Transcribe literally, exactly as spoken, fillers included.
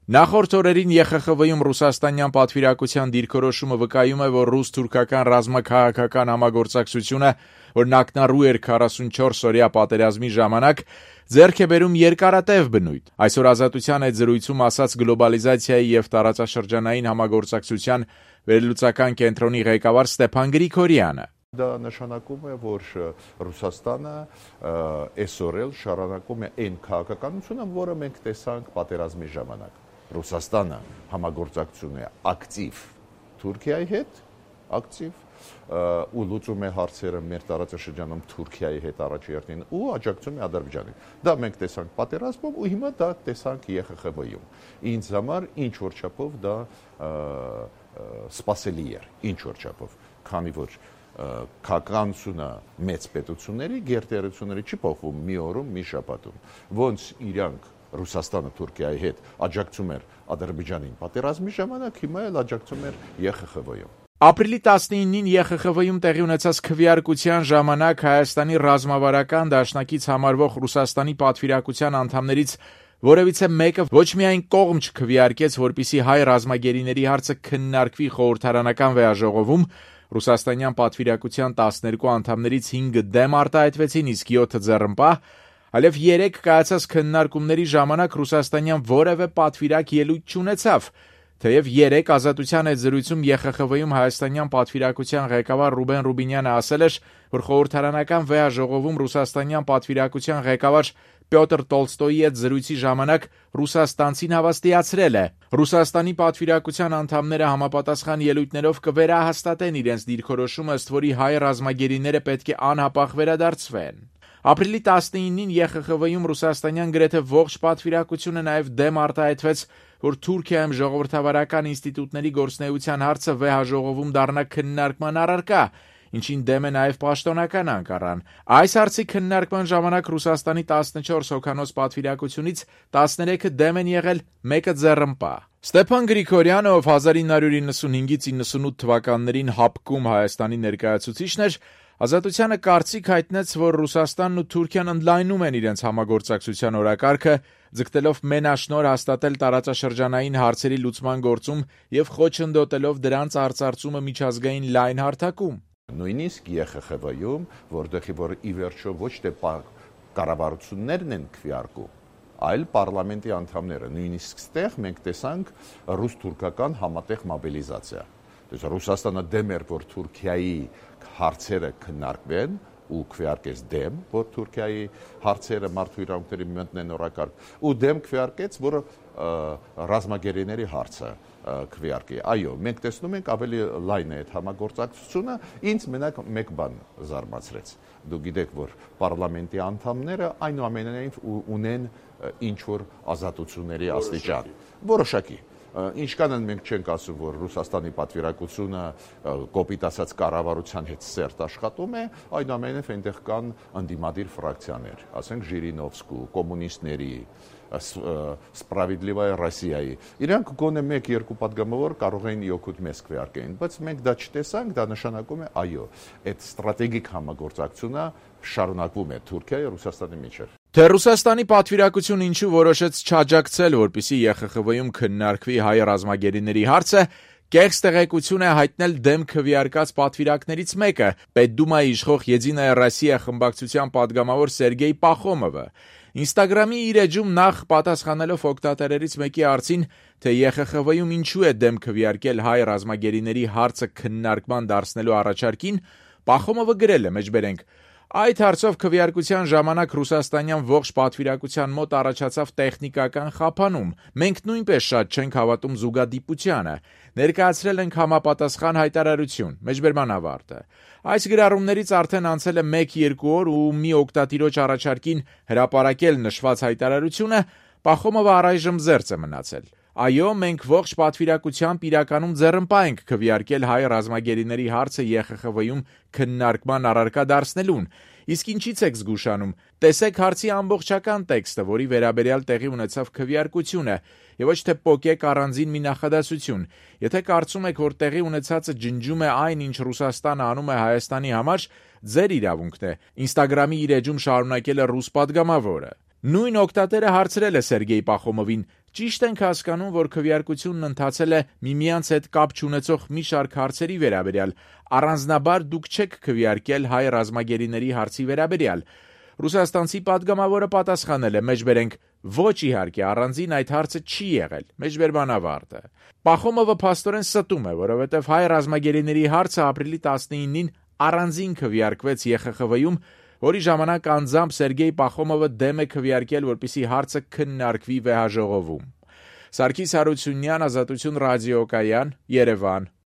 Նախորդ օրերին Է Խ Խ V-ում ռուսաստանյան պատվիրակության դիրքորոշումը վկայում է, որ ռուս-թուրքական ռազմաքաղաքական համագործակցությունը, որն ակնառու էր քառասունչորս օրյա պատերազմի ժամանակ, ձեռք է բերում երկարատև բնույթ։ Այսօր Ազատության հետ զրույցում ասաց գլոբալիզացիայի եւ տարածաշրջանային համագործակցության վերլուծական կենտրոնի ղեկավար Ստեփան Գրիգորյանը։ Դա նշանակում է, որ Ռուսաստանը այսօր էլ շարունակում է այն քաղաքականությունը, որը մենք տեսանք պատերազմի ժամանակ։ Ռուսաստանը համագործակցություն է ակտիվ Թուրքիայի հետ, ակտիվ ու լուծում է հարցերը մեր տարածաշրջանում Թուրքիայի հետ առաջերտին ու աջակցում է Ադրբեջանին։ Դա մենք տեսանք պատերազմում ու հիմա դա տեսանք Է Խ Խ V-ում։ Ինձ համար ինչ որ չափով դա սպասելի էր, ինչ որ չափով, քանի որ քաղաքականությունը մեծ պետությունների գերտերությունների չի փոխվում մի օրում, մի շաբաթում։ Ոնց իրանք Ռուսաստանը Թուրքիայի հետ աջակցում էր Ադրբեջանին պատերազմի ժամանակ, հիմա էլ աջակցում էր Է Խ Խ V-ում։ Ապրիլի տասնինին Է Խ Խ V-ում տեղի ունեցած քվեարկության ժամանակ Հայաստանի ռազմավարական դաշնակից համարվող Ռուսաստանի պատվիրակության անդամներից որևիցե մեկը ոչ միայն կողմ չքվեարկեց, որպիսի հայ ռազմագերիների հարցը քննարկվի խորհրդարանական վեաժողովում, Ռուսաստանյան պատվիրակության տասներկու անդամներից հինգը դեմ արտահայտվեցին, իսկ յոթը ձեռնպահ, այլև երեք կայացած քննարկումների ժամանակ ռուսաստանյան որևէ պատվիրակ ելույթ չունեցավ, թեև երեք Ազատության հետ զրույցում Է Խ Խ V-ում հայաստանյան պատվիրակության ղեկավար Ռուբեն Ռուբինյանը ասել էր, որ խորհրդարանական վեաժողովում ռուսաստանյան պատվիրակության ղեկավար Պյոտր Տոլստոյի հետ զրույցի ժամանակ ռուսաստանցին հավաստիացրել է. Ռուսաստանի պատվիրակության անդամները համապատասխան ելույթներով կվերահաստատեն իրենց դիրքորոշումը, ըստ որի հայ ռազմագերիները պետք է անհապաղ վերադարձվեն։ Ապրիլի տասնինին Է Խ Խ V-ում ռուսաստանյան գրեթե ողջ պատվիրակությունը նաև դեմ արտահայտվեց, որ Թուրքիայում ժողովրդավարական ինստիտուտների գործունեության հարցը վեհաժողովում դառնա քննարկման առարկա, ինչին դեմ է նաև պաշտոնական Անկարան։ Այս հարցի քննարկման ժամանակ Ռուսաստանի տասնչորս հոգանոց պատվիրակությունից տասներեքը դեմ են եղել, մեկը ձեռնպահ։ Ստեփան Գրիգորյանը, ով հազար ինը հարյուր իննսունհինգից իննսունութ թվականներին ՀԱՊԿ-ում Հայաստանի ներկայացուցիչն էր, Ազատությանը կարծիք հայտնեց, որ Ռուսաստանն ու Թուրքիան ընդլայնում են իրենց համագործակցության օրակարգը, ձգտելով մենաշնորհ հաստատել տարածաշրջանային հարցերի լուծման գործում եւ խոչընդոտելով դրանց արծարծումը միջազգային լայն հարթակում։ Նույնիսկ Է Խ Խ V-ում, որտեղի որ ի վերջո ոչ թե կառավարություններն են քվեարկում, այլ պարլամենտի անդամները, նույնիսկ ստեղ մենք տեսանք ռուս-թուրքական համատեղ մոբիլիզացիա։ Ռուսաստանը դեմ էր, որ Թուրքիայի հարցերը քննարկվեն ու քվեարկեց դեմ, որ Թուրքիայի հարցերը մարդու իրավունքների մտնեն օրակարգ, ու դեմ քվեարկեց, որ ռազմագերիների հարցը քվեարկի։ Այո, մենք տեսնում ենք ավելի լայն է այդ համագործակցությունը, ինձ մենակ մեկ բան զարմացրեց։ Դու գիտեք, որ պարլամենտի անդամները այնուամենայնիվ ունեն ինչ-որ ազատությունների աստիճան, որոշակի։ Ինչքան են մենք չենք ասում, որ Ռուսաստանի պատվիրակությունը կոպիտ ասած կառավարության հետ սերտ աշխատում է, այնուամենայնիվ այնտեղ կան ընդդիմադիր ֆրակցիաներ, ասենք Ժիրինովսկու, կոմունիստների, Սպրավիդլիվայա Ռոսիայի։ Իրանք գոնե մեկ-երկու պատգամավոր կարող էին օգուտ մեզ քվեարկեն, բայց մենք դա չտեսանք, դա նշանակում է այո, այդ ստրատեգիկ համագործակցությունը շարունակվում է Թուրքիայի ու Ռուսաստանի միջև։ Թե Ռուսաստանի պատվիրակությունը ինչու որոշեց չաջակցել, որպեսզի Է Խ Խ V-ում քննարկվի հայ ռազմագերիների հարցը, կեղծ տեղեկություն է հայտնել դեմ քվեարկած պատվիրակներից մեկը՝ Պետդումայի իշխող Եդինայա Ռոսիա խմբակցության պատգամավոր Սերգեյ Պախոմովը։ Ինստագրամի իր էջում նախ պատասխանելով օգտատերերից մեկի հարցին, թե Է Խ Խ V-ում ինչու է դեմ քվեարկել հայ ռազմագերիների հարցը քննարկման դարձնելու առաջարկին, Պախոմովը գրել է մեջբերենք. Այդ հարցով քվեարկության ժամանակ ռուսաստանյան ողջ պատվիրակության մոտ առաջացավ տեխնիկական խափանում։ Մենք նույնպես շատ չենք հավատում զուգադիպությանը։ Ներկայացրել ենք համապատասխան հայտարարություն։ Մեջբերման ավարտը։ Այս գրառումներից արդեն անցել է մեկ-երկու օր ու մի օգտատիրոջ առաջարկին հրապարակել նշված հայտարարությունը Պախոմովը առայժմ զերծ է մնացել։ Այո, մենք ողջ պատվիրակությամբ իրականում ձեռնպահ ենք քվեարկել հայ ռազմագերիների հարցը Է Խ Խ V-ում քննարկման առարկա դարձնելուն։ Իսկ ինչից եք զգուշանում։ Տեսեք հարցի ամբողջական տեքստը, որի վերաբերյալ տեղի ունեցավ քվեարկությունը, եւ ոչ թե պոկեք առանձին մի նախադասություն։ Եթե կարծում եք, որ տեղի ունեցածը ջնջում է այն, ինչ Ռուսաստանը անում է Հայաստանի համար, ձեր իրավունքն է։ Ինստագրամի իր էջում շարունակել է ռուս պատգամավորը։ Նույն օգտատերը հարցրել է Սերգեյ Պախոմովին. Ճիշտ ենք հասկանում, որ քվեարկությունն ընթացել է միմյանց հետ կապ չունեցող մի շարք հարցերի վերաբերյալ, առանձնաբար դուք չեք քվեարկել հայ ռազմագերիների հարցի վերաբերյալ։ Ռուսաստանցի պատգամավորը պատասխանել է, մեջբերենք, ոչ իհարկե, առանձին այդ հարցը չի եղել, մեջբերման ավարտը։ Պախոմովը փաստորեն ստում է, որովհետև հայ ռազմագերիների հարցը ապրիլի տասնինին առանձին քվեարկվեց Է Խ Խ V-ում, որի ժամանակ անձամբ Սերգեյ Պախոմովը դեմ է քվեարկել, որպեսզի հարցը քննարկվի վեհաժողովում։ Սարգիս Հարությունյան, Ազատություն ռադիոկայան, Երևան։